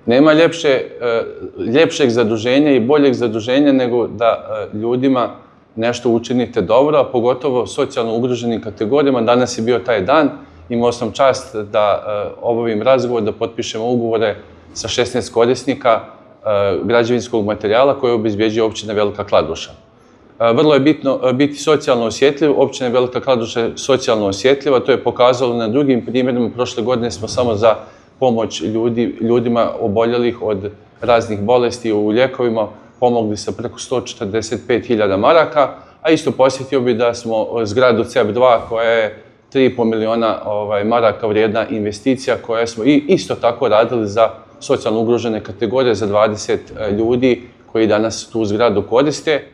Nema ljepšeg zaduženja i boljeg zaduženja nego da ljudima nešto učinite dobro, a pogotovo socijalno ugroženim kategorijama. Danas je bio taj dan, imao sam čast da obavim razgovor, da potpišemo ugovore sa 16 korisnika građevinskog materijala koje obezbjeđuje općina Velika Kladuša. Vrlo je bitno biti socijalno osjetljiv. Općina Velika Kladuša je socijalno osjetljiva, to je pokazalo na drugim primjerima. Prošle godine smo samo za pomoć ljudima oboljelih od raznih bolesti u lijekovima pomogli sa preko 145.000 maraka, a isto posjetio bi da smo zgradu CEP2 koja je 3,5 miliona maraka vrijedna investicija koja smo isto tako radili za socijalno ugrožene kategorije, za 20 ljudi koji danas tu zgradu koriste.